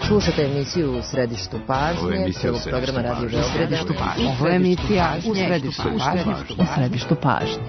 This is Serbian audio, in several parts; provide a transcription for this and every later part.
Slušate emisiju U središtu pažnje, prvog programa Radio Beograda. Ovo je emisija U središtu pažnje.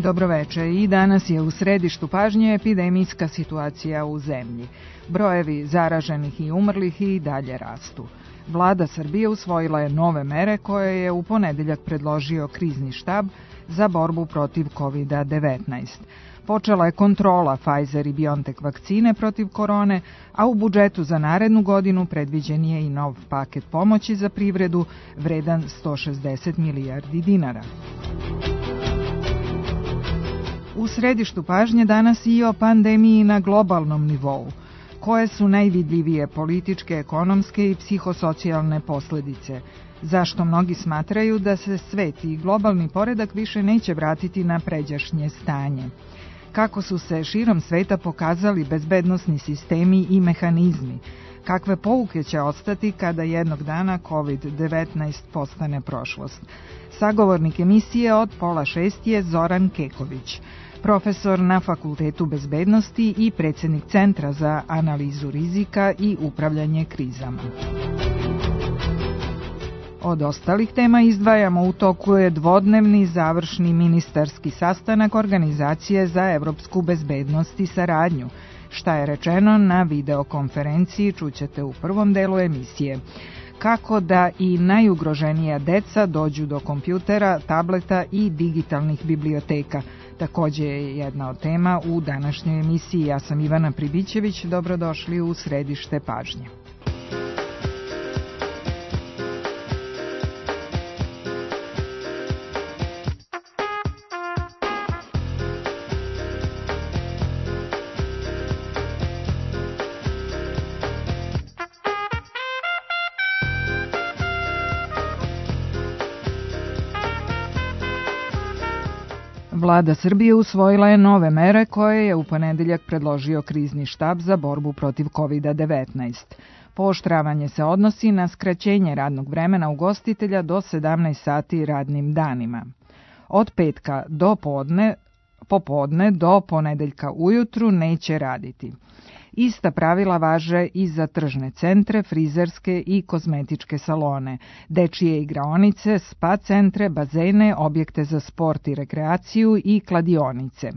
Dobroveče, i danas je u središtu pažnje epidemijska situacija u zemlji. Brojevi zaraženih i umrlih i dalje rastu. Vlada Srbije usvojila je nove mere koje je u ponedeljak predložio krizni štab za borbu protiv COVID-19. Počela je kontrola Pfizer i BioNTech vakcine protiv korone, a u budžetu za narednu godinu predviđen je i nov paket pomoći za privredu vredan 160 milijardi dinara. U središtu pažnje danas i o pandemiji na globalnom nivou. Koje su najvidljivije političke, ekonomske i psihosocijalne posledice? Zašto mnogi smatraju da se svet i globalni poredak više neće vratiti na pređašnje stanje? Kako su se širom sveta pokazali bezbednosni sistemi i mehanizmi? Kakve pouke će ostati kada jednog dana COVID-19 postane prošlost? Sagovornik emisije od 5:30 je Zoran Keković, profesor na Fakultetu bezbednosti i predsjednik Centra za analizu rizika i upravljanje krizama. Od ostalih tema izdvajamo u toku je dvodnevni završni ministarski sastanak Organizacije za evropsku bezbednost i saradnju. Šta je rečeno na videokonferenciji čućete u prvom delu emisije. Kako da i najugroženija deca dođu do kompjutera, tableta i digitalnih biblioteka. Također je jedna od tema u današnjoj emisiji. Ja sam Ivana Pribićević, dobrodošli u središte pažnje. Vlada Srbije usvojila je nove mere koje je u ponedeljak predložio krizni štab za borbu protiv COVID-19. Pooštravanje se odnosi na skraćenje radnog vremena ugostitelja do 17 sati radnim danima. Od petka do popodne do ponedeljka ujutru neće raditi. Ista pravila važe i za tržne centre, frizerske i kozmetičke salone, dečije igraonice, spa centre, bazene, objekte za sport i rekreaciju i kladionice.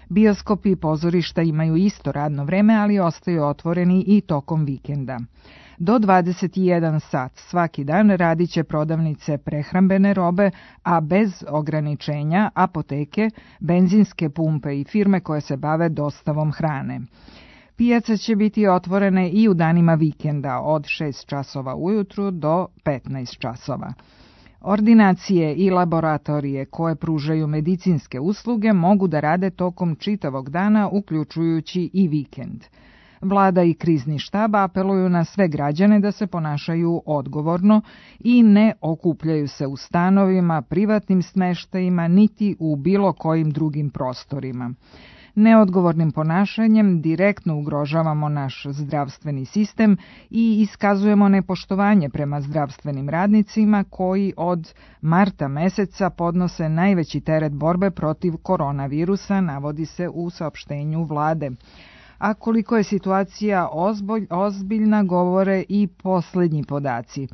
Bioskopi i pozorišta imaju isto radno vreme, ali ostaju otvoreni i tokom vikenda. Do 21 sat svaki dan radit će prodavnice prehrambene robe, a bez ograničenja apoteke, benzinske pumpe i firme koje se bave dostavom hrane. Pijace će biti otvorene i u danima vikenda od 6 časova ujutru do 15 časova. Ordinacije i laboratorije koje pružaju medicinske usluge mogu da rade tokom čitavog dana, uključujući i vikend. Vlada i krizni štab apeluju na sve građane da se ponašaju odgovorno i ne okupljaju se u stanovima, privatnim smeštajima, niti u bilo kojim drugim prostorima. Neodgovornim ponašanjem direktno ugrožavamo naš zdravstveni sistem i iskazujemo nepoštovanje prema zdravstvenim radnicima koji od marta meseca podnose najveći teret borbe protiv koronavirusa, navodi se u saopštenju vlade. A koliko je situacija ozbiljna govore i posljednji podaci.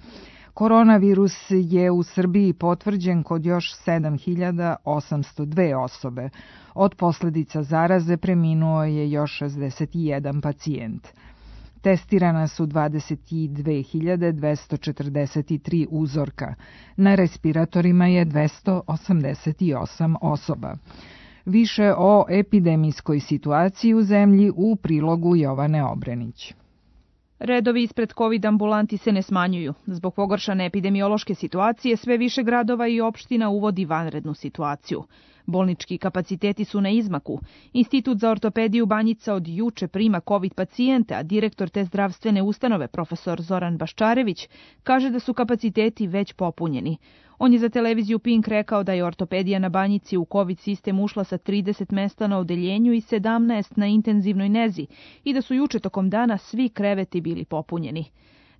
Koronavirus je u Srbiji potvrđen kod još 7.802 osobe. Od posljedica zaraze preminuo je još 61 pacijent. Testirana su 22.243 uzorka. Na respiratorima je 288 osoba. Više o epidemijskoj situaciji u zemlji u prilogu Jovane Obrenić. Redovi ispred COVID ambulanti se ne smanjuju. Zbog pogoršane epidemiološke situacije sve više gradova i opština uvodi vanrednu situaciju. Bolnički kapaciteti su na izmaku. Institut za ortopediju Banjica od juče prima COVID pacijente, a direktor te zdravstvene ustanove, profesor Zoran Baščarević, kaže da su kapaciteti već popunjeni. On je za televiziju Pink rekao da je ortopedija na Banjici u COVID sistem ušla sa 30 mesta na odeljenju i 17 na intenzivnoj nezi i da su juče tokom dana svi kreveti bili popunjeni.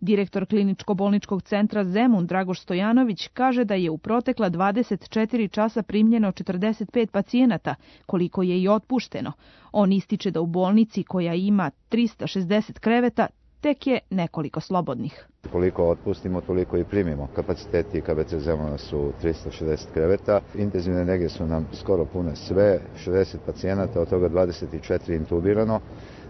Direktor kliničko-bolničkog centra Zemun Dragoš Stojanović kaže da je u protekla 24 časa primljeno 45 pacijenata, koliko je i otpušteno. On ističe da u bolnici koja ima 360 kreveta tek je nekoliko slobodnih. Koliko otpustimo, toliko i primimo. Kapaciteti KBC Zemuna su 360 kreveta. Intenzivne nege su nam skoro pune sve, 60 pacijenata, od toga 24 intubirano.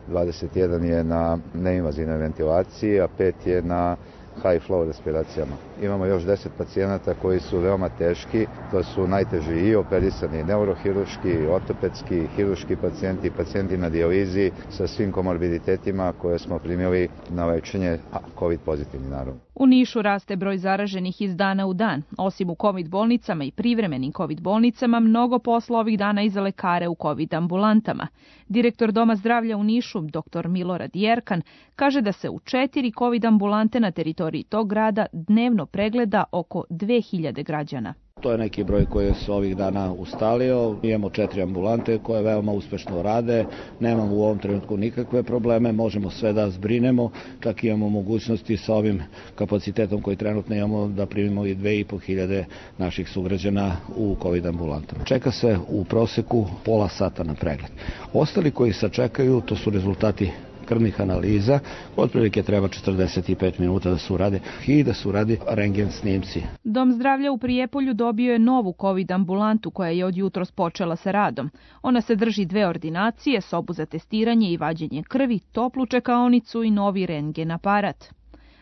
21 je na neinvazivnoj ventilaciji, a 5 je na high flow respiracijama. Imamo još 10 pacijenata koji su veoma teški, to su najteži i operisani neurohiruški, ortopedski, hiruški pacijenti, pacijenti na dijalizi sa svim komorbiditetima koje smo primili na lečenje, a COVID pozitivni naravno. U Nišu raste broj zaraženih iz dana u dan. Osim u COVID bolnicama i privremenim COVID bolnicama, mnogo posla ovih dana i za lekare u COVID ambulantama. Direktor Doma zdravlja u Nišu, dr. Milorad Jerkan, kaže da se u 4 COVID ambulante na teritoriji tog grada dnevno pregleda oko 2000 građana. To je neki broj koji se ovih dana ustalio. Imamo 4 ambulante koje veoma uspešno rade. Nemamo u ovom trenutku nikakve probleme. Možemo sve da zbrinemo. Čak imamo mogućnosti sa ovim kapacitetom koji trenutno imamo da primimo i 2500 naših sugrađana u COVID ambulantama. Čeka se u proseku pola sata na pregled. Ostali koji sačekaju, to su rezultati krvnih analiza, otprilike treba 45 minuta da se urade i da se uradi rendgen snimci. Dom zdravlja u Prijepolju dobio je novu COVID ambulantu koja je od jutros počela sa radom. Ona se drži 2 ordinacije, sobu za testiranje i vađenje krvi, toplu čekaonicu i novi rendgen aparat.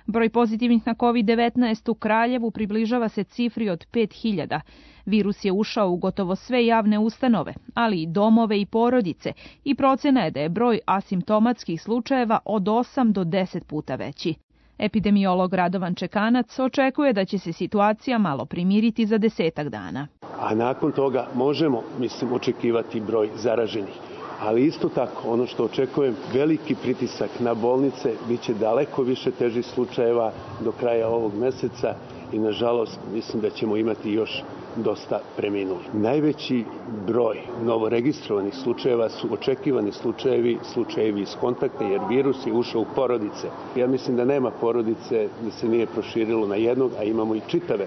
Broj pozitivnih na COVID-19 u Kraljevu približava se cifri od 5000. Virus je ušao u gotovo sve javne ustanove, ali i domove i porodice, i procena je da je broj asimptomatskih slučajeva od 8 do 10 puta veći. Epidemiolog Radovan Čekanac očekuje da će se situacija malo primiriti za 10 dana. A nakon toga možemo, očekivati broj zaraženih. Ali isto tako, ono što očekujem, veliki pritisak na bolnice, bit će daleko više težih slučajeva do kraja ovog meseca i nažalost mislim da ćemo imati još dosta preminulih. Najveći broj novoregistrovanih slučajeva su očekivani slučajevi iz kontakta, jer virus je ušao u porodice. Ja mislim da nema porodice da se nije proširilo na jednog, a imamo i čitave,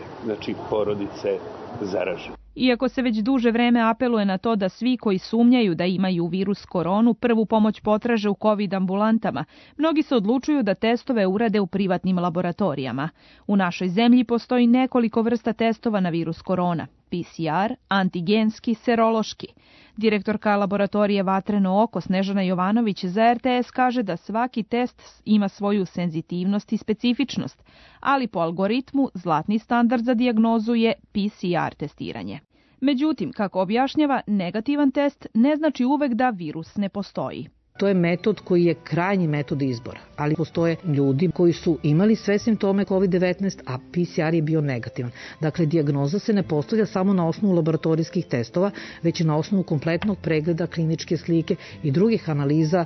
porodice zaražene. Iako se već duže vreme apeluje na to da svi koji sumnjaju da imaju virus koronu prvu pomoć potraže u COVID ambulantama, mnogi se odlučuju da testove urade u privatnim laboratorijama. U našoj zemlji postoji nekoliko vrsta testova na virus korona: PCR, antigenski, serološki. Direktorka laboratorije Vatreno oko Snežana Jovanović za RTS kaže da svaki test ima svoju senzitivnost i specifičnost, ali po algoritmu zlatni standard za dijagnozu je PCR testiranje. Međutim, kako objašnjava, negativan test ne znači uvek da virus ne postoji. To je metod koji je krajnji metod izbora, ali postoje ljudi koji su imali sve simptome COVID-19, a PCR je bio negativan. Dakle, dijagnoza se ne postavlja samo na osnovu laboratorijskih testova, već i na osnovu kompletnog pregleda kliničke slike i drugih analiza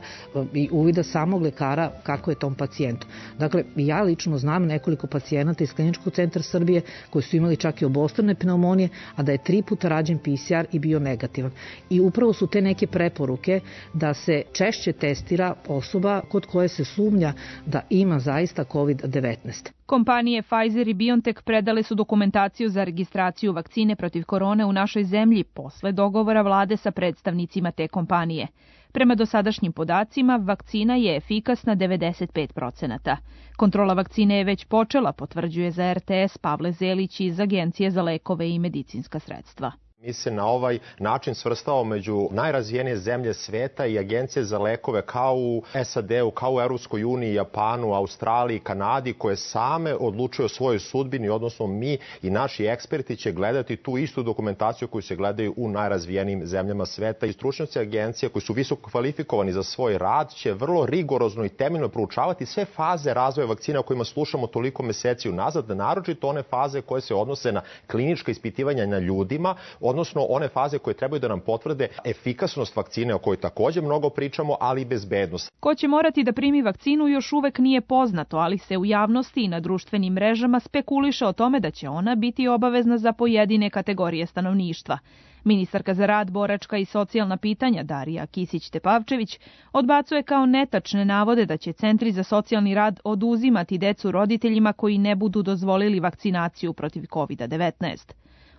i uvida samog lekara kako je tom pacijentu. Dakle, ja lično znam nekoliko pacijenata iz Kliničkog centra Srbije koji su imali čak i obostrane pneumonije, a da je 3 puta rađen PCR i bio negativan. I upravo su te neke preporuke da se češće testira osoba kod koje se sumnja da ima zaista COVID-19. Kompanije Pfizer i BioNTech predale su dokumentaciju za registraciju vakcine protiv korone u našoj zemlji posle dogovora vlade sa predstavnicima te kompanije. Prema dosadašnjim podacima, vakcina je efikasna 95%. Kontrola vakcine je već počela, potvrđuje za RTS Pavle Zelić iz Agencije za lekove i medicinska sredstva. Mi se na ovaj način svrstavamo među najrazvijenije zemlje sveta i agencije za lekove kao u SAD-u, kao u Europskoj uniji, Japanu, Australiji, Kanadi, koje same odlučuju o svojoj sudbini, odnosno mi i naši eksperti će gledati tu istu dokumentaciju koju se gledaju u najrazvijenijim zemljama sveta i stručnjaci agencije koji su visoko kvalifikovani za svoj rad će vrlo rigorozno i temeljno proučavati sve faze razvoja vakcina o kojima slušamo toliko meseci unazad, naročito one faze koje se odnose na klinička ispitivanja na ljudima, odnosno one faze koje trebaju da nam potvrde efikasnost vakcine o kojoj također mnogo pričamo, ali i bezbednost. Ko će morati da primi vakcinu još uvek nije poznato, ali se u javnosti i na društvenim mrežama spekuliše o tome da će ona biti obavezna za pojedine kategorije stanovništva. Ministarka za rad, boračka i socijalna pitanja Darija Kisić-Tepavčević odbacuje kao netačne navode da će centri za socijalni rad oduzimati decu roditeljima koji ne budu dozvolili vakcinaciju protiv COVID-19.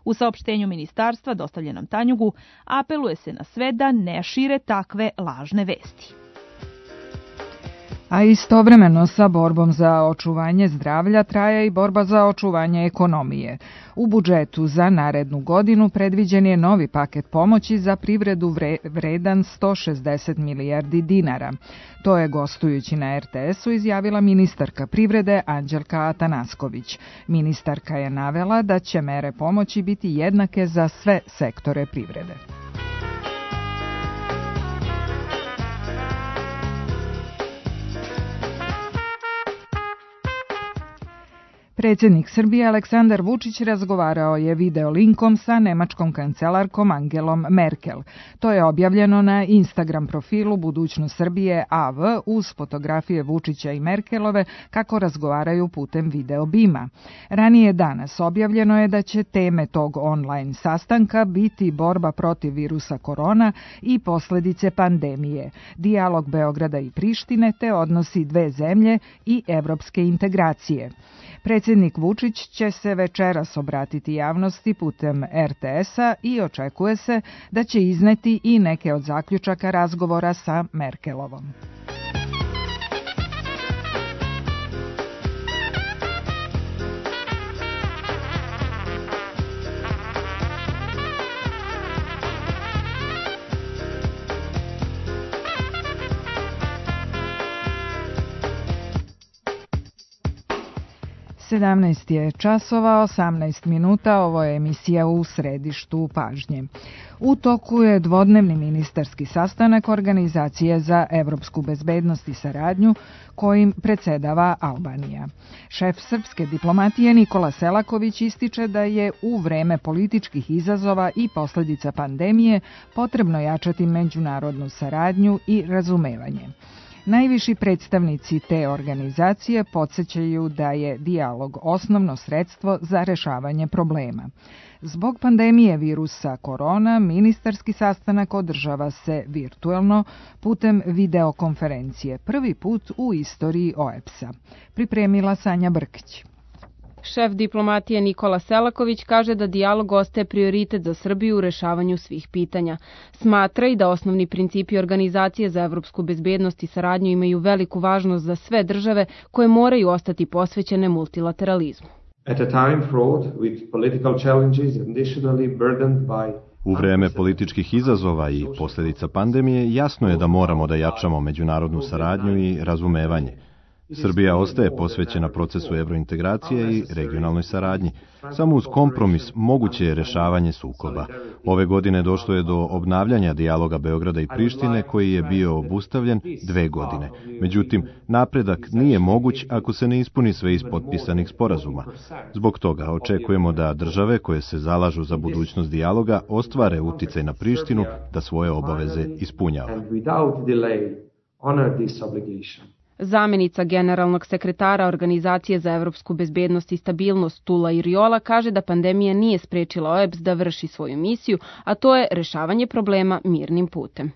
U saopštenju ministarstva dostavljenom Tanjugu apeluje se na sve da ne šire takve lažne vesti. A istovremeno sa borbom za očuvanje zdravlja traje i borba za očuvanje ekonomije. U budžetu za narednu godinu predviđen je novi paket pomoći za privredu vredan 160 milijardi dinara. To je gostujući na RTS-u izjavila ministarka privrede Anđelka Atanasković. Ministarka je navela da će mere pomoći biti jednake za sve sektore privrede. Predsjednik Srbije Aleksandar Vučić razgovarao je videolinkom sa nemačkom kancelarkom Angelom Merkel. To je objavljeno na Instagram profilu Budućnost Srbije AV uz fotografije Vučića i Merkelove kako razgovaraju putem video bima. Ranije danas objavljeno je da će teme tog online sastanka biti borba protiv virusa korona i posljedice pandemije, dijalog Beograda i Prištine te odnosi dve zemlje i evropske integracije. Predsjednik Vučić će se večeras obratiti javnosti putem RTS-a i očekuje se da će izneti i neke od zaključaka razgovora sa Merkelovom. Sedamnaest je časova, 18 minuta, ovo je emisija U središtu pažnje. U toku je dvodnevni ministarski sastanak Organizacije za evropsku bezbednost i saradnju kojim predsjedava Albanija. Šef srpske diplomatije Nikola Selaković ističe da je u vreme političkih izazova i posljedica pandemije potrebno jačati međunarodnu saradnju i razumevanje. Najviši predstavnici te organizacije podsjećaju da je dijalog osnovno sredstvo za rješavanje problema. Zbog pandemije virusa korona, ministarski sastanak održava se virtuelno putem videokonferencije, prvi put u istoriji OEBS-a. Pripremila Sanja Brkić. Šef diplomatije Nikola Selaković kaže da dijalog ostaje prioritet za Srbiju u rešavanju svih pitanja. Smatra i da osnovni principi Organizacije za evropsku bezbednost i saradnju imaju veliku važnost za sve države koje moraju ostati posvećene multilateralizmu. U vreme političkih izazova i posljedica pandemije jasno je da moramo da jačamo međunarodnu saradnju i razumevanje. Srbija ostaje posvećena procesu evrointegracije i regionalnoj saradnji. Samo uz kompromis moguće je rešavanje sukoba. Ove godine došlo je do obnavljanja dijaloga Beograda i Prištine koji je bio obustavljen 2 godine. Međutim, napredak nije moguć ako se ne ispuni sve iz potpisanih sporazuma. Zbog toga očekujemo da države koje se zalažu za budućnost dijaloga ostvare uticaj na Prištinu da svoje obaveze ispunjava. Zamenica generalnog sekretara Organizacije za evropsku bezbednost i stabilnost Tula Iriola kaže da pandemija nije sprečila OEBS da vrši svoju misiju, a to je rešavanje problema mirnim putem.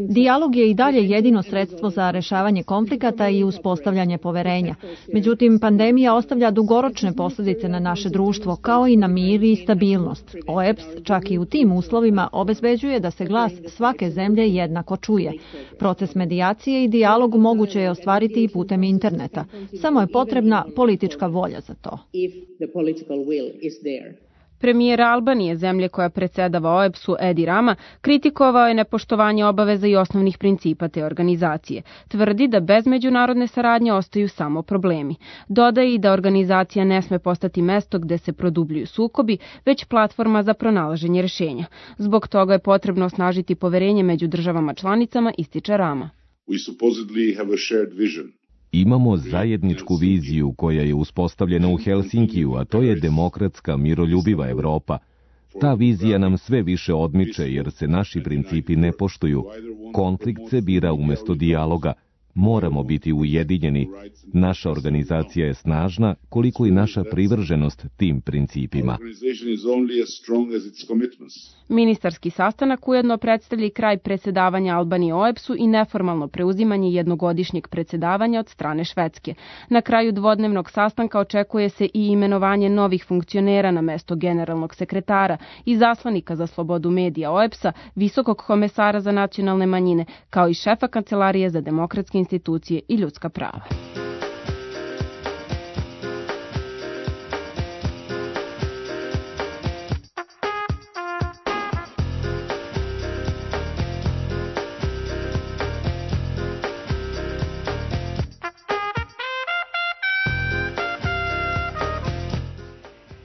Dijalog je i dalje jedino sredstvo za rešavanje konflikata i uspostavljanje poverenja. Međutim, pandemija ostavlja dugoročne posljedice na naše društvo, kao i na mir i stabilnost. OEBS čak i u tim uslovima obezbeđuje da se glas svake zemlje jednako čuje. Proces medijacije i dijalog moguće je ostvariti i putem interneta. Samo je potrebna politička volja za to. Premijer Albanije, zemlje koja predsedava OEBS-u, Edi Rama, kritikovao je nepoštovanje obaveza i osnovnih principa te organizacije. Tvrdi da bez međunarodne saradnje ostaju samo problemi. Dodaje i da organizacija ne sme postati mesto gde se produbljuju sukobi, već platforma za pronalaženje rešenja. Zbog toga je potrebno osnažiti poverenje među državama članicama, ističe Rama. Imamo zajedničku viziju koja je uspostavljena u Helsinkiju, a to je demokratska, miroljubiva Evropa. Ta vizija nam sve više odmiče jer se naši principi ne poštuju. Konflikt se bira umesto dijaloga. Moramo biti ujedinjeni. Naša organizacija je snažna koliko i naša privrženost tim principima. Ministarski sastanak ujedno predstavlja i kraj predsedavanja Albanije OEBS-u i neformalno preuzimanje jednogodišnjeg predsedavanja od strane Švedske. Na kraju dvodnevnog sastanka očekuje se i imenovanje novih funkcionera na mesto generalnog sekretara i zaslanika za slobodu medija OEBS-a, visokog komesara za nacionalne manjine, kao i šefa Kancelarije za demokratske institucije i ljudska prava.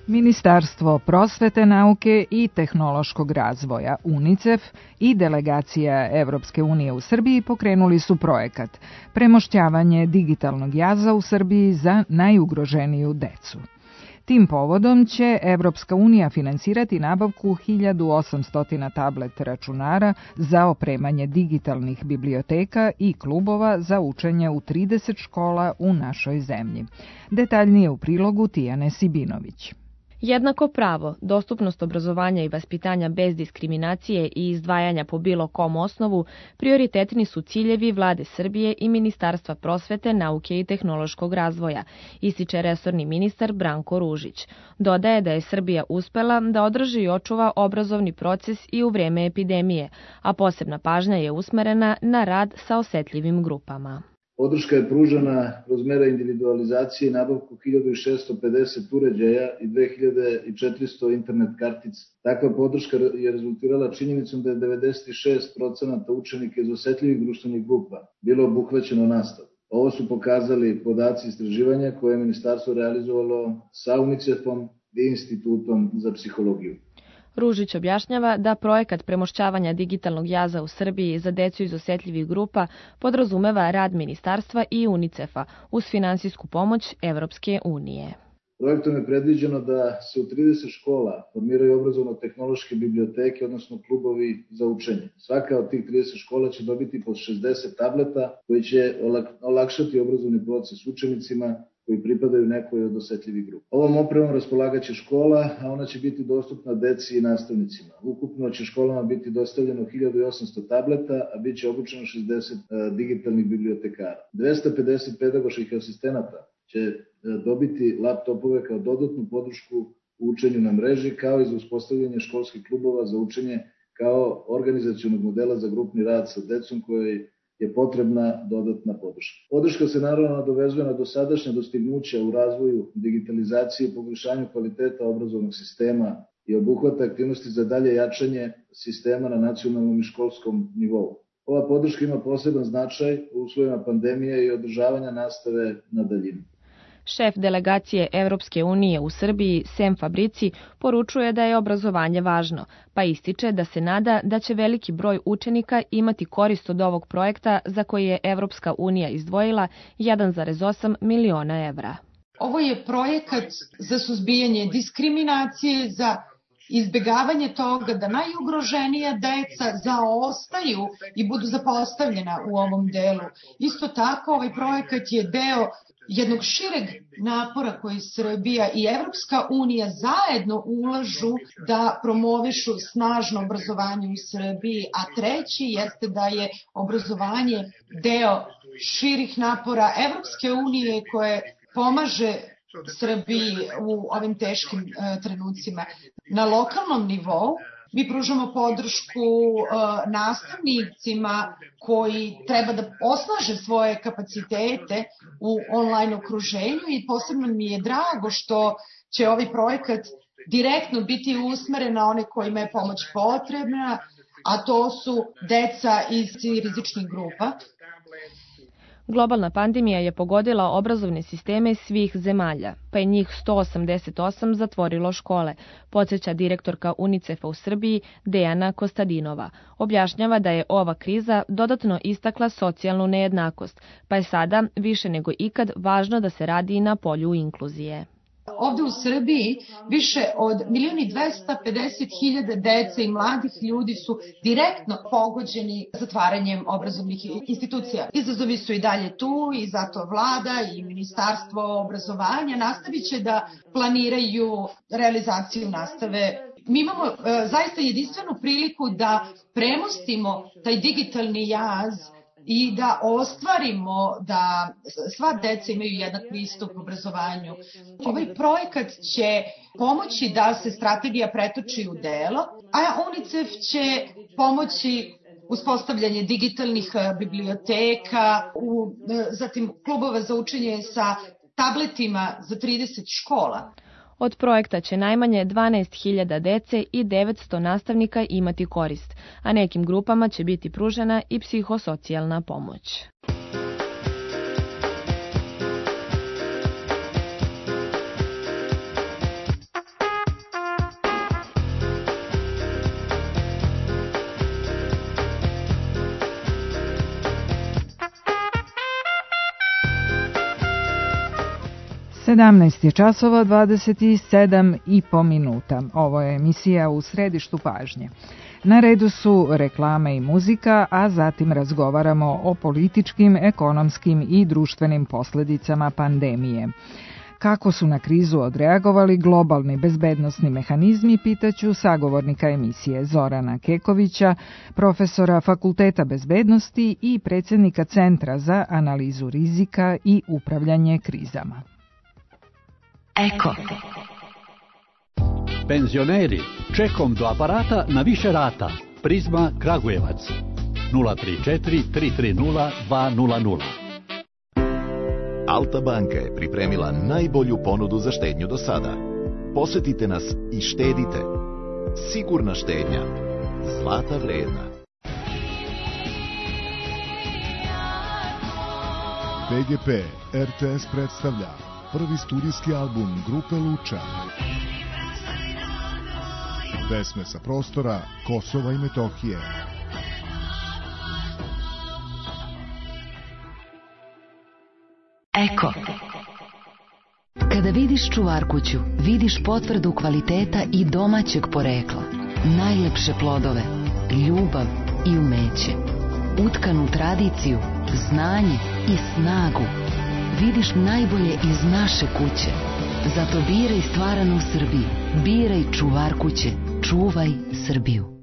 Ministarstvo prosvete, nauke i tehnološkog razvoja UNICEF i delegacija Evropske unije u Srbiji pokrenuli su projekat Premošćavanje digitalnog jaza u Srbiji za najugroženiju decu. Tim povodom će Evropska unija finansirati nabavku 1800 tablet računara za opremanje digitalnih biblioteka i klubova za učenje u 30 škola u našoj zemlji. Detaljnije u prilogu Tijane Sibinović. Jednako pravo, dostupnost obrazovanja i vaspitanja bez diskriminacije i izdvajanja po bilo kom osnovu prioritetni su ciljevi Vlade Srbije i Ministarstva prosvete, nauke i tehnološkog razvoja, ističe resorni ministar Branko Ružić. Dodaje da je Srbija uspela da održi i očuva obrazovni proces i u vreme epidemije, a posebna pažnja je usmerena na rad sa osetljivim grupama. Podrška je pružena kroz mere individualizacije i nabavku 1650 uređaja i 2400 internet kartica. Takva podrška je rezultirala činjenicom da je 96% učenika iz osetljivih društvenih grupa bilo obuhvaćeno nastavom. Ovo su pokazali podaci istraživanja koje je ministarstvo realizovalo sa UNICEF-om i Institutom za psihologiju. Ružić objašnjava da projekat premošćavanja digitalnog jaza u Srbiji za decu iz osetljivih grupa podrazumeva rad ministarstva i UNICEF-a uz finansijsku pomoć Evropske unije. Projektom je predviđeno da se u 30 škola formiraju obrazovno-tehnološke biblioteke, odnosno klubovi za učenje. Svaka od tih 30 škola će dobiti po 60 tableta koji će olakšati obrazovni proces učenicima koji pripadaju nekoj od osetljivih grupa. Ovom opremom raspolagaće škola, a ona će biti dostupna deci i nastavnicima. Ukupno će školama biti dostavljeno 1800 tableta, a bit će obučeno 60 digitalnih bibliotekara. 250 pedagoških asistenata će dobiti laptopove kao dodatnu podršku u učenju na mreži, kao i za uspostavljanje školskih klubova za učenje kao organizacionog modela za grupni rad sa decom koji je potrebna dodatna podrška. Podrška se naravno nadovezuje na dosadašnja dostignuća u razvoju digitalizacije i poboljšanju kvaliteta obrazovnog sistema i obuhvata aktivnosti za dalje jačanje sistema na nacionalnom i školskom nivou. Ova podrška ima poseban značaj u uslovima pandemije i održavanja nastave na daljinu. Šef delegacije Evropske unije u Srbiji, Sem Fabrici, poručuje da je obrazovanje važno, pa ističe da se nada da će veliki broj učenika imati korist od ovog projekta za koji je Evropska unija izdvojila 1,8 miliona evra. Ovo je projekat za suzbijanje diskriminacije, za izbegavanje toga da najugroženija deca zaostaju i budu zapostavljena u ovom delu. Isto tako, ovaj projekat je deo jednog šireg napora koji Srbija i Evropska unija zajedno ulažu da promovišu snažno obrazovanje u Srbiji, a treći jeste da je obrazovanje deo širih napora Evropske unije koje pomaže Srbiji u ovim teškim trenucima. Na lokalnom nivou mi pružamo podršku nastavnicima koji treba da osnaže svoje kapacitete u online okruženju i posebno mi je drago što će ovaj projekat direktno biti usmeren na one kojima je pomoć potrebna, a to su deca iz rizičnih grupa. Globalna pandemija je pogodila obrazovne sisteme svih zemalja, pa je njih 188 zatvorilo škole, podsjeća direktorka UNICEF-a u Srbiji Dejana Kostadinova. Objašnjava da je ova kriza dodatno istakla socijalnu nejednakost, pa je sada više nego ikad važno da se radi na polju inkluzije. Ovde u Srbiji više od 1.250.000 dece i mladih ljudi su direktno pogođeni zatvaranjem obrazovnih institucija. Izazovi su i dalje tu i zato vlada i Ministarstvo obrazovanja nastavit će da planiraju realizaciju nastave. Mi imamo zaista jedinstvenu priliku da premostimo taj digitalni jaz i da ostvarimo da sva deca imaju jednak pristup obrazovanju. Ovaj projekat će pomoći da se strategija pretoči u delo, a UNICEF će pomoći uspostavljanje digitalnih biblioteka, zatim klubova za učenje sa tabletima za 30 škola. Od projekta će najmanje 12.000 dece i 900 nastavnika imati korist, a nekim grupama će biti pružena i psihosocijalna pomoć. Sedamnaest je časova 27,5 minuta. Ovo je emisija U središtu pažnje. Na redu su reklame i muzika, a zatim razgovaramo o političkim, ekonomskim i društvenim posledicama pandemije. Kako su na krizu odreagovali globalni bezbednosni mehanizmi, pitaću sagovornika emisije Zorana Kekovića, profesora Fakulteta bezbednosti i predsjednika Centra za analizu rizika i upravljanje krizama. Eko. Penzioneri, čekom do aparata na više rata. Prizma Kragujevac 034 330 200. Alta banka je pripremila najbolju ponudu za štednju do sada. Posetite nas i štedite. Sigurna štednja. Zlata vredna. BGP RTS predstavlja prvi studijski album grupe Luča. Pesme sa prostora Kosova i Metohije. Eko. Kada vidiš čuvarkuću, vidiš potvrdu kvaliteta i domaćeg porekla. Najlepše plodove, ljubav i umeće. Utkanu tradiciju, znanje i snagu. Vidiš najbolje iz naše kuće. Zato biraj stvaranu Srbiju. Biraj čuvar kuće. Čuvaj Srbiju.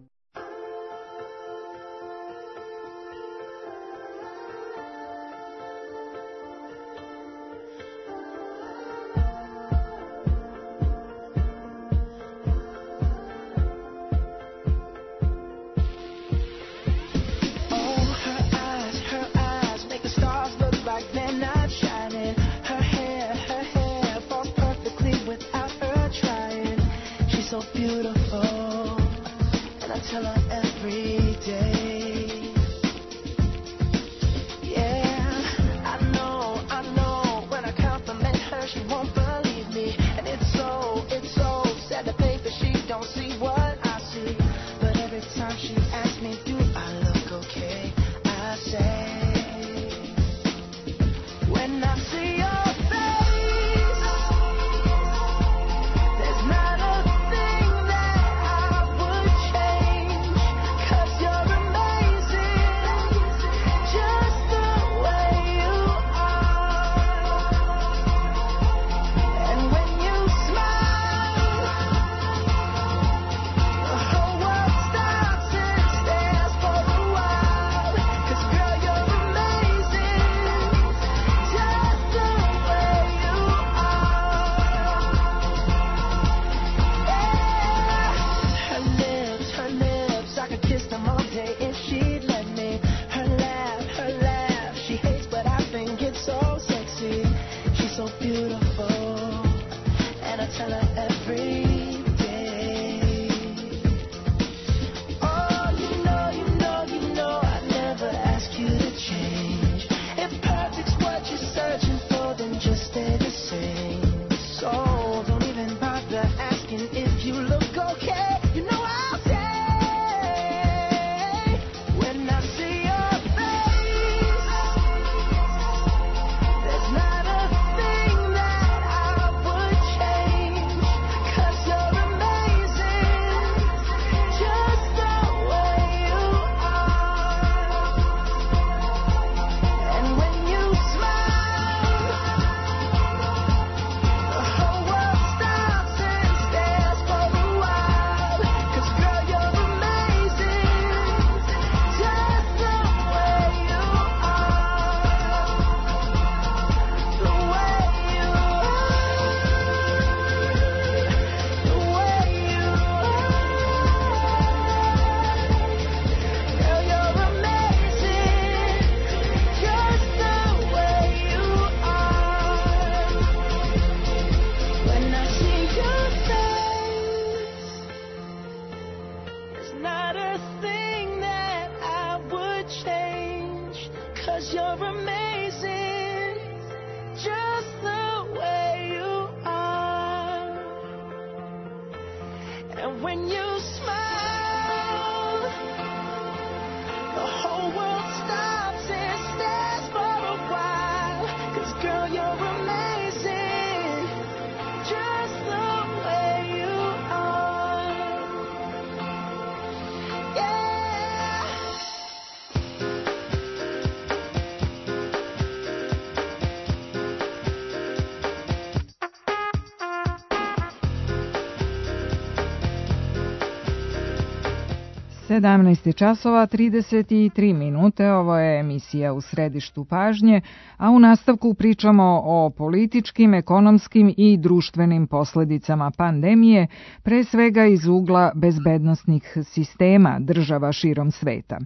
17 časova 33 minute, ovo je emisija U središtu pažnje, a u nastavku pričamo o političkim, ekonomskim i društvenim posledicama pandemije, pre svega iz ugla bezbednosnih sistema država širom sveta.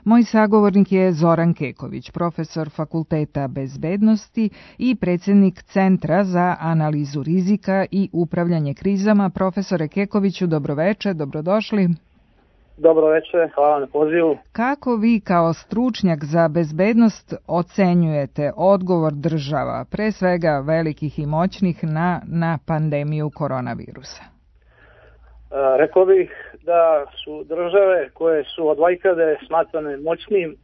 Moj sagovornik je Zoran Keković, profesor Fakulteta bezbednosti i predsjednik Centra za analizu rizika i upravljanje krizama. Profesore Kekoviću, dobroveče, dobrodošli. Dobro večer, hvala na pozivu. Kako vi kao stručnjak za bezbednost ocenjujete odgovor država, pre svega velikih i moćnih, na pandemiju koronavirusa? Rekao bih da su države koje su od vajkade smatrane moćnim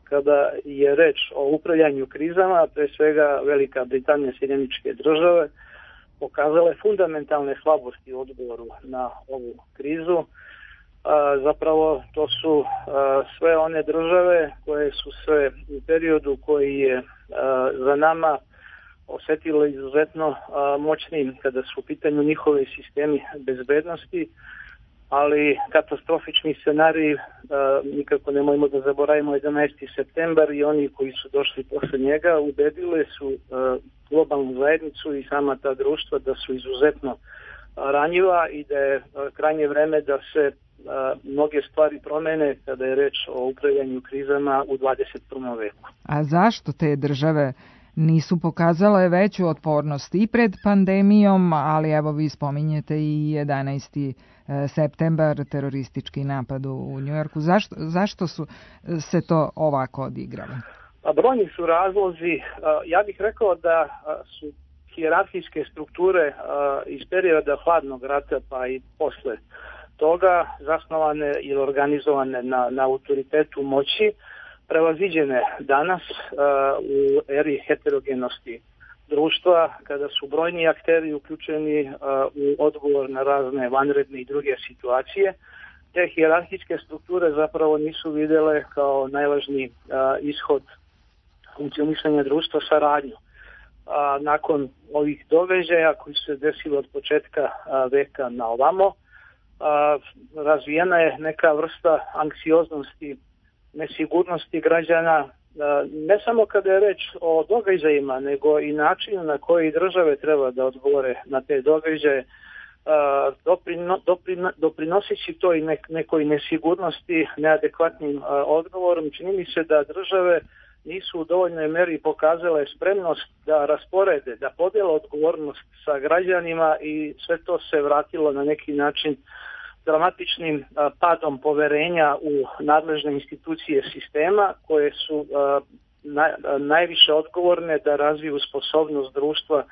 kada je reč o upravljanju krizama, pre svega Velika Britanija i Sjedinjene Američke Države, pokazale fundamentalne slabosti u odgovoru na ovu krizu. Zapravo to su sve one države koje su se u periodu koji je za nama osjetile izuzetno moćnim kada su u pitanju njihove sistemi bezbednosti, ali katastrofični scenarij, nikako nemojmo da zaboravimo 11. septembar i oni koji su došli posle njega ubedile su globalnu zajednicu i sama ta društva da su izuzetno ranjiva i da je krajnje vreme da se mnoge stvari promene kada je reč o upravljanju krizama u 21. veku. A zašto te države nisu pokazale veću otpornost i pred pandemijom, ali evo vi spominjete i 11. septembar, teroristički napad u Njujorku. Zašto su se to ovako odigralo? Brojni su razlozi. Ja bih rekao da su hijerarhijske strukture iz perioda hladnog rata pa i posle toga zasnovane ili organizovane na autoritetu moći, prevaziđene danas u eri heterogenosti društva, kada su brojni akteri uključeni u odgovor na razne vanredne i druge situacije. Te hijerarhijske strukture zapravo nisu vidjele kao najvažniji ishod funkcionisanja društva saradnju. Nakon ovih događaja koji su se desili od početka veka na ovamo, razvijena je neka vrsta anksioznosti, nesigurnosti građana, ne samo kada je reč o događajima, nego i načinu na koji države treba da odgovore na te događaje, doprinoseći to i nekoj nesigurnosti, neadekvatnim odgovorom. Čini mi se da države nisu u dovoljnoj meri pokazale spremnost da rasporede, da podijele odgovornost sa građanima i sve to se vratilo na neki način dramatičnim padom poverenja u nadležne institucije sistema koje su najviše odgovorne da razviju sposobnost društva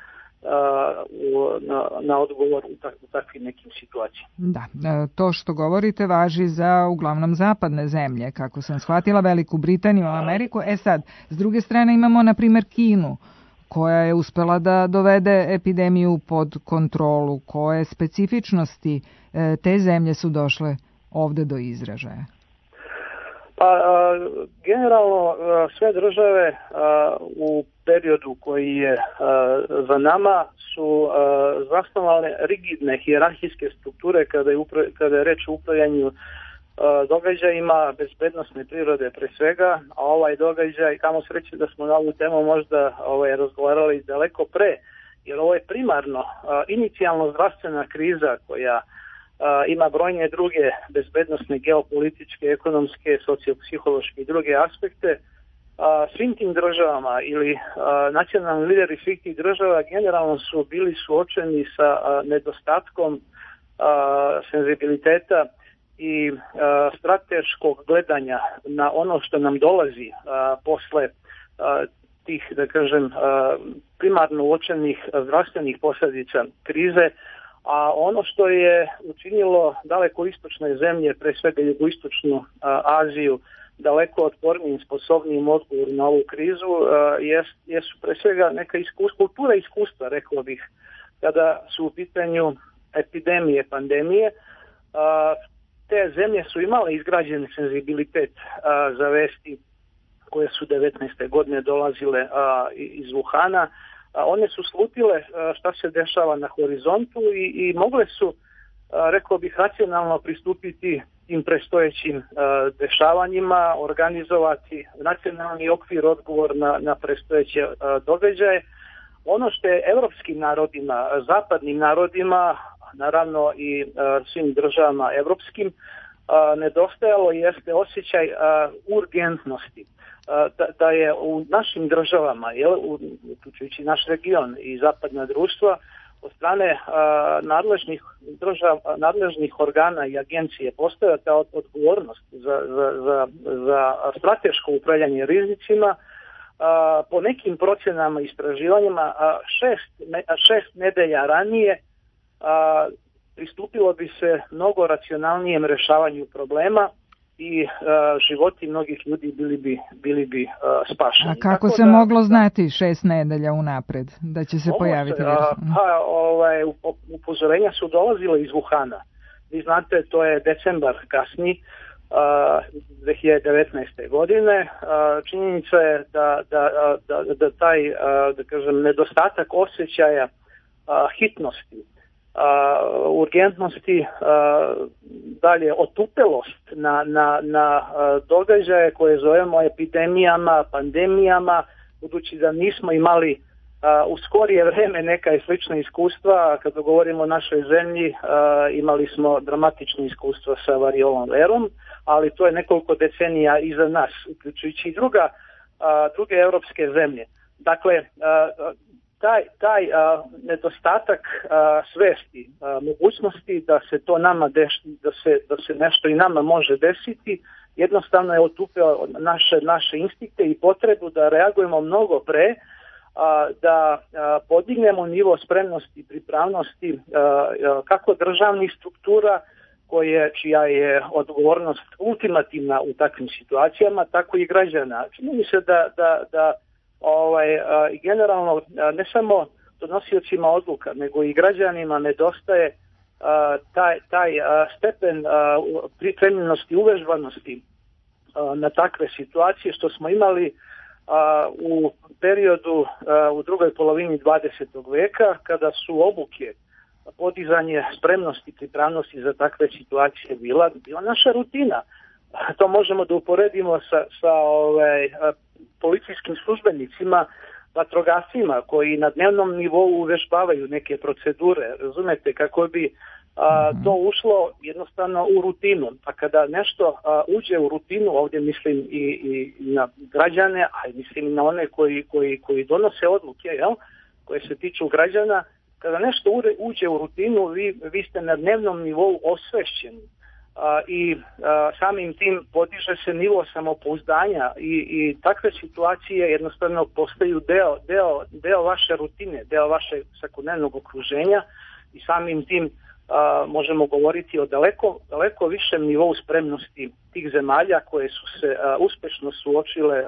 na odgovor u takvim nekim situacijama. Da, to što govorite važi za uglavnom zapadne zemlje, kako sam shvatila, Veliku Britaniju, Ameriku. Sad, s druge strane imamo, na primjer, Kinu, koja je uspela da dovede epidemiju pod kontrolu. Koje specifičnosti te zemlje su došle ovde do izražaja? Pa, generalno sve države u periodu koji je za nama su zasnovale rigidne hijerarhijske strukture kada je reč o upravljanju događajima bezbednosne prirode pre svega, a ovaj događaj, kamo sreće da smo na ovu temu možda razgovarali daleko pre, jer ovo je primarno inicijalno zdravstvena kriza koja ima brojne druge bezbednosne, geopolitičke, ekonomske, sociopsihološke i druge aspekte. Svim tim državama ili nacionalni lideri svih tih država generalno su bili suočeni sa nedostatkom senzibiliteta i strateškog gledanja na ono što nam dolazi posle tih, da kažem, primarno uočenih zdravstvenih posljedica krize, a ono što je učinilo daleko istočne zemlje, pre svega jugoistočnu Aziju, daleko otpornijim, sposobnijim odgovor na ovu krizu, jesu pre svega neka kultura iskustva, rekao bih, kada su u pitanju epidemije, pandemije. Te zemlje su imale izgrađen senzibilitet za vesti koje su 19. godine dolazile iz Wuhana. One su slutile šta se dešava na horizontu i mogle su, rekao bih, racionalno pristupiti tim prestojećim dešavanjima, organizovati nacionalni okvir, odgovor na prestojeće događaje. Ono što je evropskim narodima, zapadnim narodima, naravno i svim državama evropskim, nedostajalo jeste osjećaj urgentnosti. Da je u našim državama, uključujući naš region i zapadna društva, od strane nadležnih organa i agencije postoja ta odgovornost za strateško upravljanje rizicima. Po nekim procenama i istraživanjima 6 nedelja ranije pristupilo bi se mnogo racionalnijem rešavanju problema i životi mnogih ljudi bili bi spašeni. A kako se moglo znati 6 nedelja unapred da će se pojaviti virus? Upozorenja su dolazile iz Wuhana. Vi znate, to je decembar kasni 2019. godine. Činjenica je da taj, da kažem, nedostatak osjećaja hitnosti, urgentnosti, dalje otupelost na događaje koje zovemo epidemijama, pandemijama, budući da nismo imali u skorije vreme neka slična iskustva. Kada govorimo o našoj zemlji, imali smo dramatično iskustvo sa variolom verom, ali to je nekoliko decenija iza nas, uključujući i druge evropske zemlje. Dakle, taj nedostatak svesti, mogućnosti da se to nama da se nešto i nama može desiti, jednostavno je otupio naše instinkte i potrebu da reagujemo mnogo pre, da podignemo nivo spremnosti i pripravnosti kako državnih struktura, čija je odgovornost ultimativna u takvim situacijama, tako i građana. Čini mi se da generalno ne samo donosiocima odluka, nego i građanima nedostaje taj stepen pripremljenosti i uvežbanosti na takve situacije što smo imali u periodu u drugoj polovini 20. veka, kada su obuke, podizanje spremnosti i pripravnosti za takve situacije bila naša rutina. To možemo da uporedimo sa policijskim službenicima, vatrogascima koji na dnevnom nivou uvežbavaju neke procedure, razumete, kako bi to ušlo jednostavno u rutinu. A kada nešto uđe u rutinu, ovdje mislim i na građane, a mislim i na one koji donose odluke, koje se tiču građana, kada nešto uđe u rutinu, vi ste na dnevnom nivou osvešćeni i samim tim podiže se nivo samopouzdanja i takve situacije jednostavno postaju deo vaše rutine, deo vašeg svakodnevnog okruženja i samim tim možemo govoriti o daleko višem nivou spremnosti tih zemalja koje su se uspešno suočile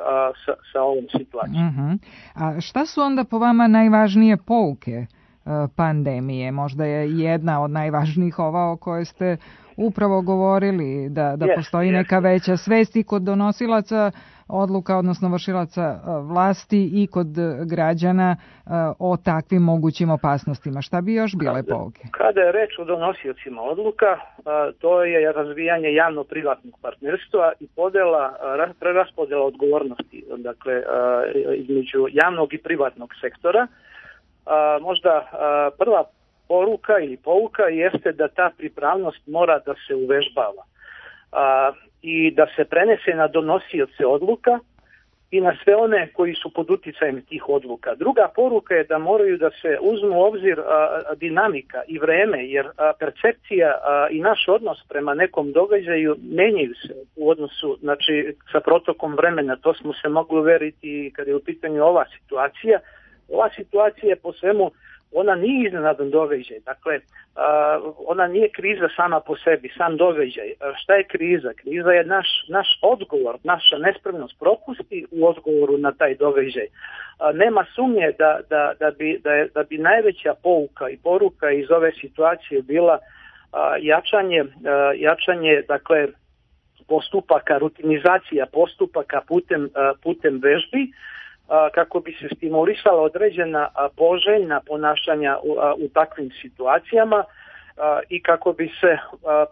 sa ovom situacijom. A šta su onda po vama najvažnije pouke pandemije? Možda je jedna od najvažnijih ova o kojoj ste upravo govorili, da postoji neka veća svest i kod donosilaca odluka, odnosno vršilaca vlasti i kod građana o takvim mogućim opasnostima. Šta bi još bile pouke? Kada je reč o donosiocima odluka, to je razvijanje javno-privatnog partnerstva i preraspodela odgovornosti, dakle, između javnog i privatnog sektora. Možda prva poruka ili pouka jeste da ta pripravnost mora da se uvežbava i da se prenese na donosioce odluka i na sve one koji su pod uticajem tih odluka. Druga poruka je da moraju da se uzmu u obzir dinamika i vreme, jer percepcija i naš odnos prema nekom događaju menjaju se u odnosu, znači, sa protokom vremena. To smo se mogli uveriti kada je u pitanju ova situacija. Ova situacija je po svemu, ona nije iznenadan događaj, dakle, ona nije kriza sama po sebi, sam događaj. Šta je kriza? Kriza je naš odgovor, naša nespremnost, propusti u odgovoru na taj događaj. Nema sumnje da bi najveća pouka i poruka iz ove situacije bila jačanje, dakle, postupaka, rutinizacija postupaka putem vežbi, kako bi se stimulisala određena poželjna ponašanja u takvim situacijama i kako bi se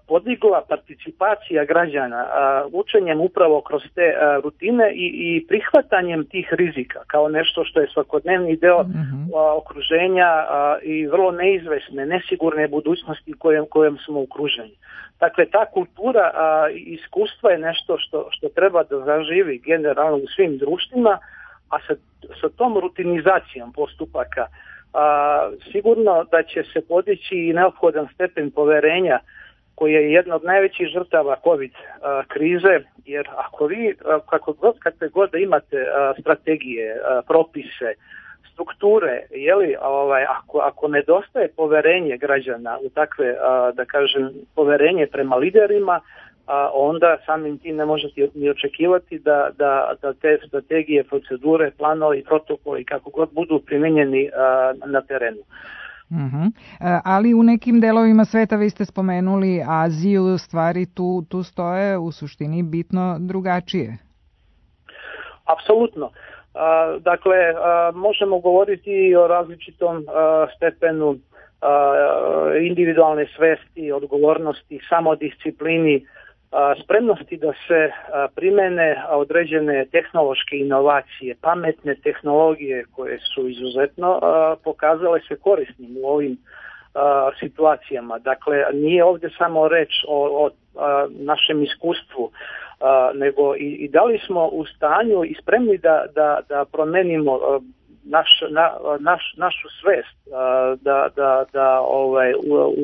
podigla participacija građana učenjem upravo kroz te rutine i prihvatanjem tih rizika kao nešto što je svakodnevni deo okruženja i vrlo neizvesne, nesigurne budućnosti kojom smo okruženi. Dakle, ta kultura iskustva je nešto što treba da zaživi generalno u svim društvima, a sa tom rutinizacijom postupaka sigurno da će se podići i neophodan stepen poverenja koji je jedna od najvećih žrtava COVID krize, jer ako vi kakve god da imate strategije, propise, strukture, ako nedostaje poverenje građana u takve, da kažem, poverenje prema liderima, onda samim tim ne možete ni očekivati da te strategije, procedure, planovi, protokoli, kako god budu primijenjeni na terenu. Ali u nekim delovima sveta, vi ste spomenuli Aziju, stvari tu stoje u suštini bitno drugačije. Apsolutno. Dakle, možemo govoriti o različitom stepenu individualne svesti, odgovornosti, samodisciplini, spremnosti da se primene određene tehnološke inovacije, pametne tehnologije koje su izuzetno pokazale se korisnim u ovim situacijama. Dakle, nije ovdje samo reč o našem iskustvu, nego i da li smo u stanju i spremni da promenimo našu svest, da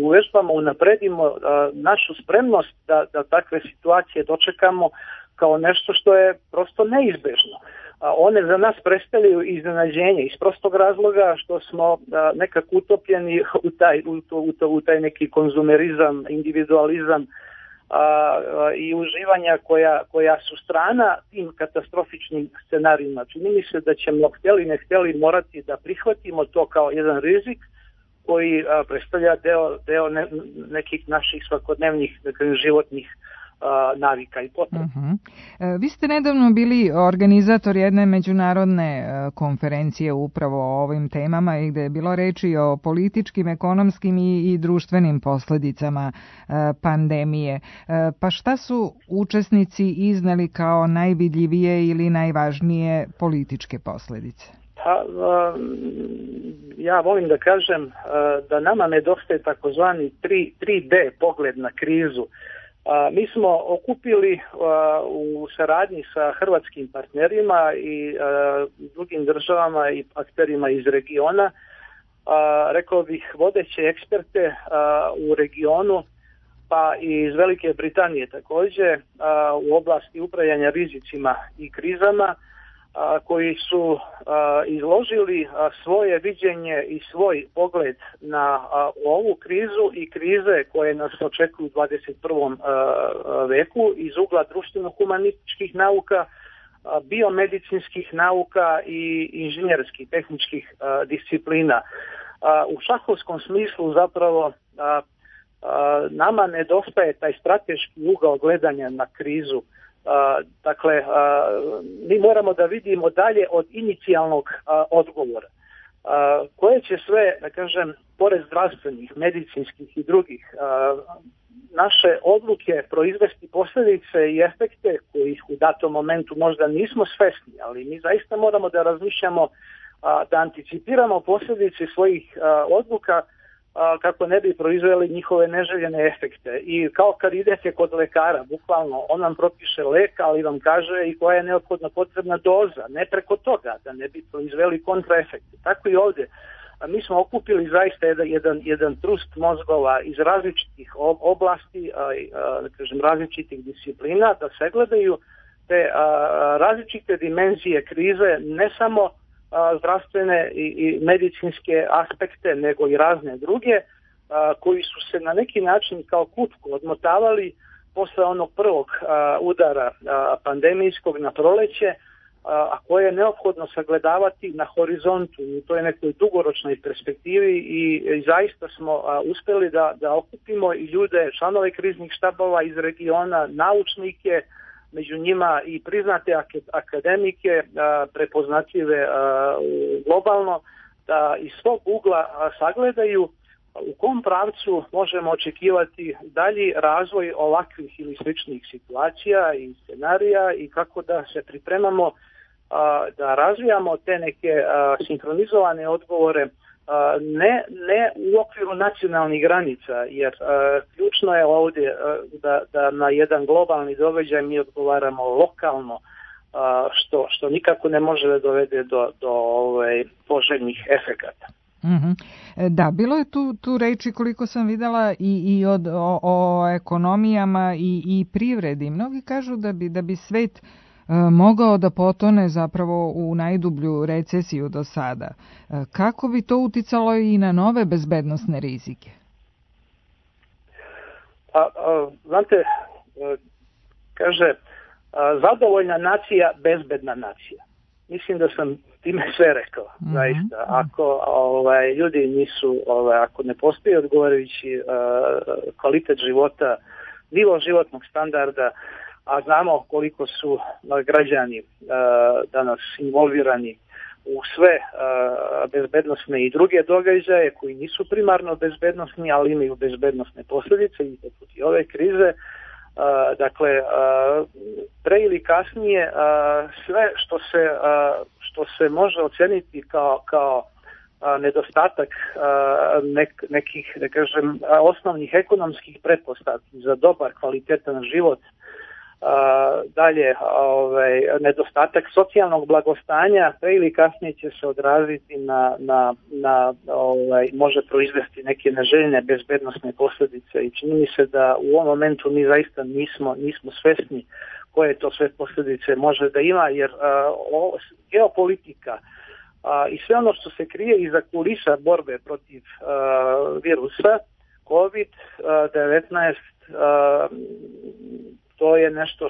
uvežbamo, unapredimo našu spremnost da takve situacije dočekamo kao nešto što je prosto neizbežno. One za nas predstavljaju iznenađenje iz prostog razloga što smo nekako utopljeni u taj neki konzumerizam, individualizam i uživanja koja su strana tim katastrofičnim scenarijima. Čini mi se da ćemo, htjeli ne htjeli, morati da prihvatimo to kao jedan rizik koji predstavlja deo nekih naših svakodnevnih životnih navika i potreba. Vi ste nedavno bili organizator jedne međunarodne konferencije upravo o ovim temama i gde je bilo reči o političkim, ekonomskim i društvenim posledicama pandemije. Pa šta su učesnici izneli kao najvidljivije ili najvažnije političke posledice? Ja volim da kažem da nama nedostaje takozvani 3D pogled na krizu. Mi smo okupili u saradnji sa hrvatskim partnerima i drugim državama i akterima iz regiona, rekao bih vodeće eksperte u regionu pa i iz Velike Britanije takođe, u oblasti upravljanja rizicima i krizama, koji su izložili svoje viđenje i svoj pogled na ovu krizu i krize koje nas očekuju u 21. veku iz ugla društveno-humanističkih nauka, biomedicinskih nauka i inženjerskih, tehničkih disciplina. U šahovskom smislu zapravo nama nedostaje taj strateški ugao gledanja na krizu. Dakle, mi moramo da vidimo dalje od inicijalnog odgovora. Koje će sve, da kažem, pored zdravstvenih, medicinskih i drugih, naše odluke proizvesti posljedice i efekte kojih u datom momentu možda nismo svesni, ali mi zaista moramo da razmišljamo, da anticipiramo posljedice svojih odluka kako ne bi proizveli njihove neželjene efekte. I kao kad idete kod lekara, bukvalno, on vam propiše lek, ali vam kaže i koja je neophodna potrebna doza, ne preko toga, da ne bi proizveli kontraefekte. Tako i ovdje. Mi smo okupili zaista jedan trust mozgova iz različitih oblasti, da kažem, različitih disciplina, da sagledaju te različite dimenzije krize, ne samo zdravstvene i medicinske aspekte, nego i razne druge, koji su se na neki način kao kutku odmotavali posle onog prvog udara pandemijskog na proleće, a koje je neophodno sagledavati na horizontu u toj nekoj dugoročnoj perspektivi i zaista smo uspeli da okupimo i ljude, članove kriznih štabova iz regiona, naučnike, među njima i priznate akademike, prepoznatljive globalno, da iz svog ugla sagledaju u kom pravcu možemo očekivati dalji razvoj ovakvih ili sličnih situacija i scenarija i kako da se pripremamo da razvijamo te neke sinhronizovane odgovore ne u okviru nacionalnih granica, jer ključno je ovdje da na jedan globalni događaj mi odgovaramo lokalno, što nikako ne može da dovede do poželjnih efekata. Da, bilo je tu reči, koliko sam videla, i o ekonomijama i privredi. Mnogi kažu da bi svet mogao da potone zapravo u najdublju recesiju do sada. Kako bi to uticalo i na nove bezbednosne rizike? Znate, kaže, zadovoljna nacija, bezbedna nacija. Mislim da sam time sve rekao, zaista. Ako ljudi nisu, ako ne postoji odgovarajući kvalitet života, nivo životnog standarda, a znamo koliko su građani danas involvirani u sve bezbednosne i druge događaje koji nisu primarno bezbednosni, ali imaju bezbednosne posljedice i poput i ove krize. Dakle, pre ili kasnije sve što se može oceniti kao nedostatak nekih, da kažem, osnovnih ekonomskih pretpostavki za dobar, kvalitetan život, dalje nedostatak socijalnog blagostanja, pre ili kasnije će se odraziti može proizvesti neke neželjene bezbednosne posljedice i čini mi se da u ovom momentu mi zaista nismo svesni koje to sve posljedice može da ima, jer geopolitika i sve ono što se krije iza kulisa borbe protiv virusa COVID-19, to je nešto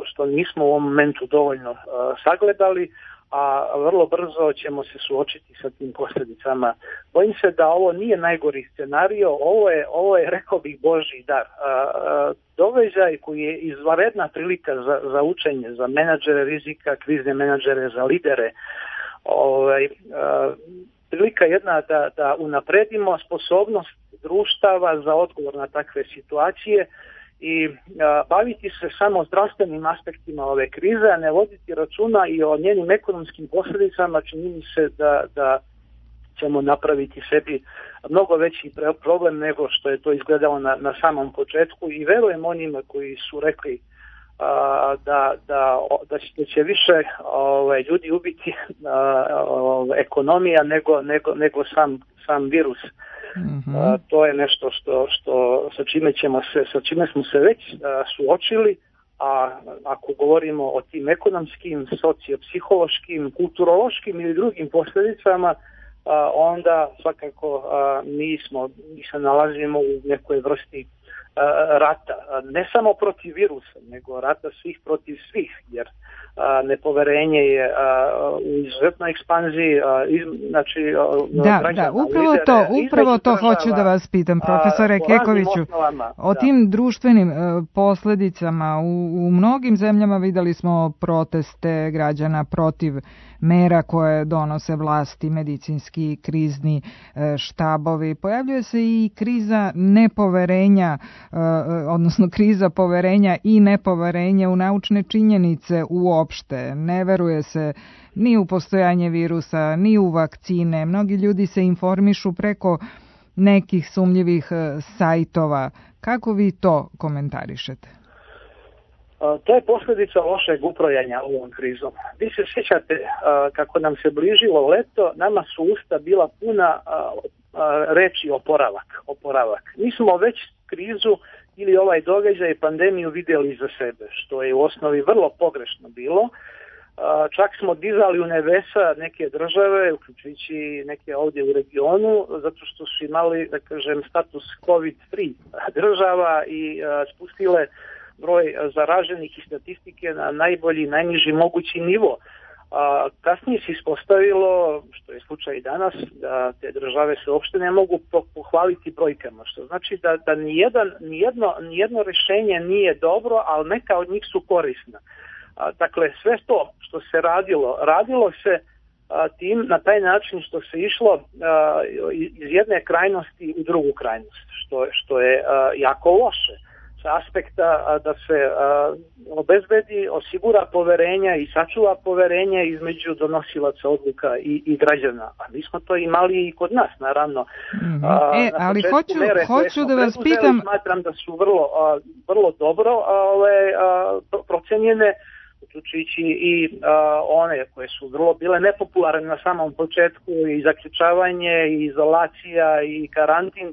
što nismo u ovom momentu dovoljno sagledali, a vrlo brzo ćemo se suočiti sa tim posljedicama. Bojim se da ovo nije najgori scenario, ovo je, rekao bih, Božji dar. Događaj koji je izvanredna prilika za učenje, za menadžere rizika, krizne menadžere, za lidere. Prilika jedna da unapredimo sposobnost društava za odgovor na takve situacije i baviti se samo zdravstvenim aspektima ove krize, a ne voditi računa i o njenim ekonomskim posljedicama. Čini mi se da ćemo napraviti sebi mnogo veći problem nego što je to izgledalo na samom početku i verujem onima koji su rekli da će više ljudi ubiti ekonomija nego sam virus. To je nešto sa čime smo se već suočili, a ako govorimo o tim ekonomskim, sociopsihološkim, kulturološkim ili drugim posljedicama, onda svakako mi se nalazimo u nekoj vrsti rata, ne samo protiv virusa, nego rata svih protiv svih, jer nepoverenje je u izuzetnoj ekspanziji, znači upravo to hoću da vas pitam, profesore Kekoviću, o tim društvenim posljedicama. U mnogim zemljama videli smo proteste građana protiv mera koje donose vlasti, medicinski krizni štabovi. Pojavljuje se i kriza nepoverenja, odnosno kriza poverenja i nepoverenja u naučne činjenice uopšte. Ne veruje se ni u postojanje virusa, ni u vakcine. Mnogi ljudi se informišu preko nekih sumnjivih sajtova. Kako vi to komentarišete? To je posljedica lošeg upravljanja ovom krizom. Vi se sjećate kako nam se bližilo leto, nama su usta bila puna reči oporavak. Mi smo već krizu ili ovaj događaj pandemiju vidjeli iza sebe, što je u osnovi vrlo pogrešno bilo. Čak smo dizali u nebesa neke države, uključujući neke ovdje u regionu, zato što su imali, da kažem, status COVID-free država i spustile broj zaraženih i statistike na najbolji, najniži mogući nivo. Kasnije se ispostavilo, što je slučaj i danas, da te države se uopšte ne mogu pohvaliti brojkama, što znači da nijedno rješenje nije dobro, ali neka od njih su korisna. Dakle, sve to što se radilo se na taj način što se išlo iz jedne krajnosti u drugu krajnost, što je jako loše. Aspekta da se obezbedi, osigura poverenja i sačuva poverenje između donosilaca odluka i građana. A mi smo to imali i kod nas, naravno. Ali hoću da vas pitam... Smatram da su vrlo dobro procenjene, uključujući i one koje su vrlo bile nepopularne na samom početku, i zaključavanje, i izolacija, i karantin.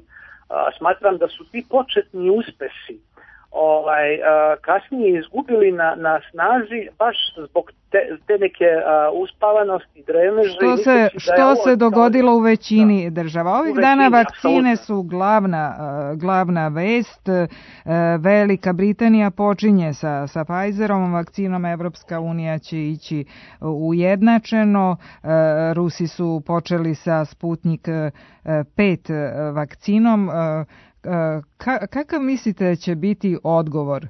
Smatram da su ti početni uspesi kasnije izgubili na snazi baš zbog te neke uspavanosti, dremeže. Što se dogodilo u većini država. Ovih dana vakcine su glavna vest. Velika Britanija počinje sa Pfizerom vakcinom, Evropska unija će ići ujednačeno. Rusi su počeli sa Sputnik 5 vakcinom. Kakav mislite će biti odgovor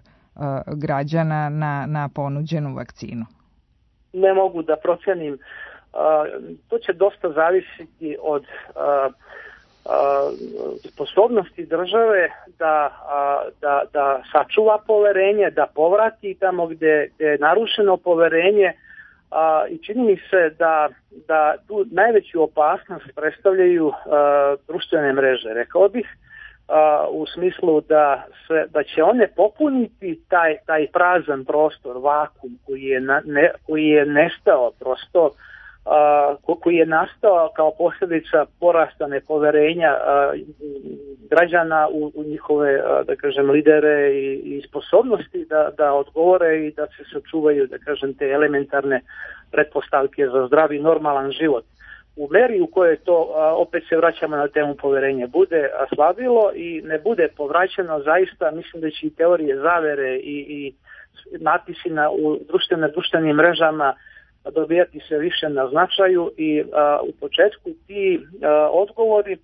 građana na ponuđenu vakcinu? Ne mogu da procenim. To će dosta zavisiti od sposobnosti države da sačuva poverenje, da povrati tamo gdje je narušeno poverenje, i čini mi se da tu najveću opasnost predstavljaju društvene mreže, rekao bih, u smislu da će one popuniti taj prazan prostor, vakum koji je nestao prosto, koji je nastao kao posljedica porasta nepoverenja građana u njihove, da kažem, lidere i sposobnosti da odgovore i da se sačuvaju, da kažem, te elementarne pretpostavke za zdravi normalan život. U meri u kojoj to, opet se vraćamo na temu poverenja, bude slabilo i ne bude povraćeno, zaista mislim da će i teorije zavere i natpisi u društvenim mrežama dobijati se više na značaju, i u početku ti odgovori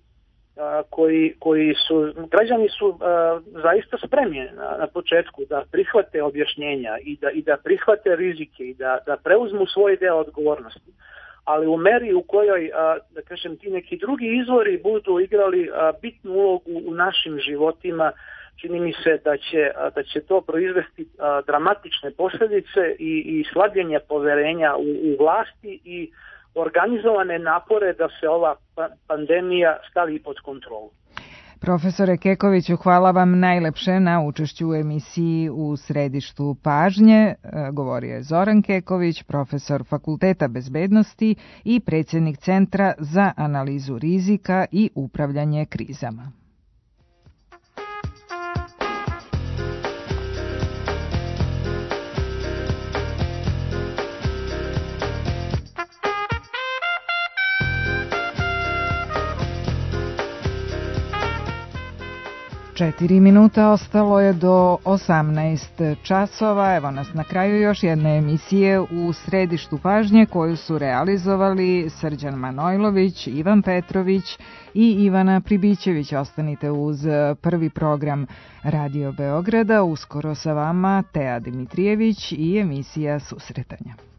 građani su zaista spremni na početku da prihvate objašnjenja i da prihvate rizike i da preuzmu svoj deo odgovornosti. Ali u meri u kojoj, da kažem, ti neki drugi izvori budu igrali bitnu ulogu u našim životima, čini mi se da će to proizvesti dramatične posljedice i slabljenje poverenja u vlasti i organizovane napore da se ova pandemija stavi pod kontrolu. Profesore Kekoviću, hvala vam najlepše na učešću u emisiji U središtu pažnje. Govorio je Zoran Keković, profesor Fakulteta bezbednosti i predsjednik Centra za analizu rizika i upravljanje krizama. Četiri minuta ostalo je do 18 časova. Evo nas na kraju još jedne emisije U središtu pažnje koju su realizovali Srđan Manojlović, Ivan Petrović i Ivana Pribićević. Ostanite uz prvi program Radio Beograda. Uskoro sa vama Teja Dimitrijević i emisija Susretanja.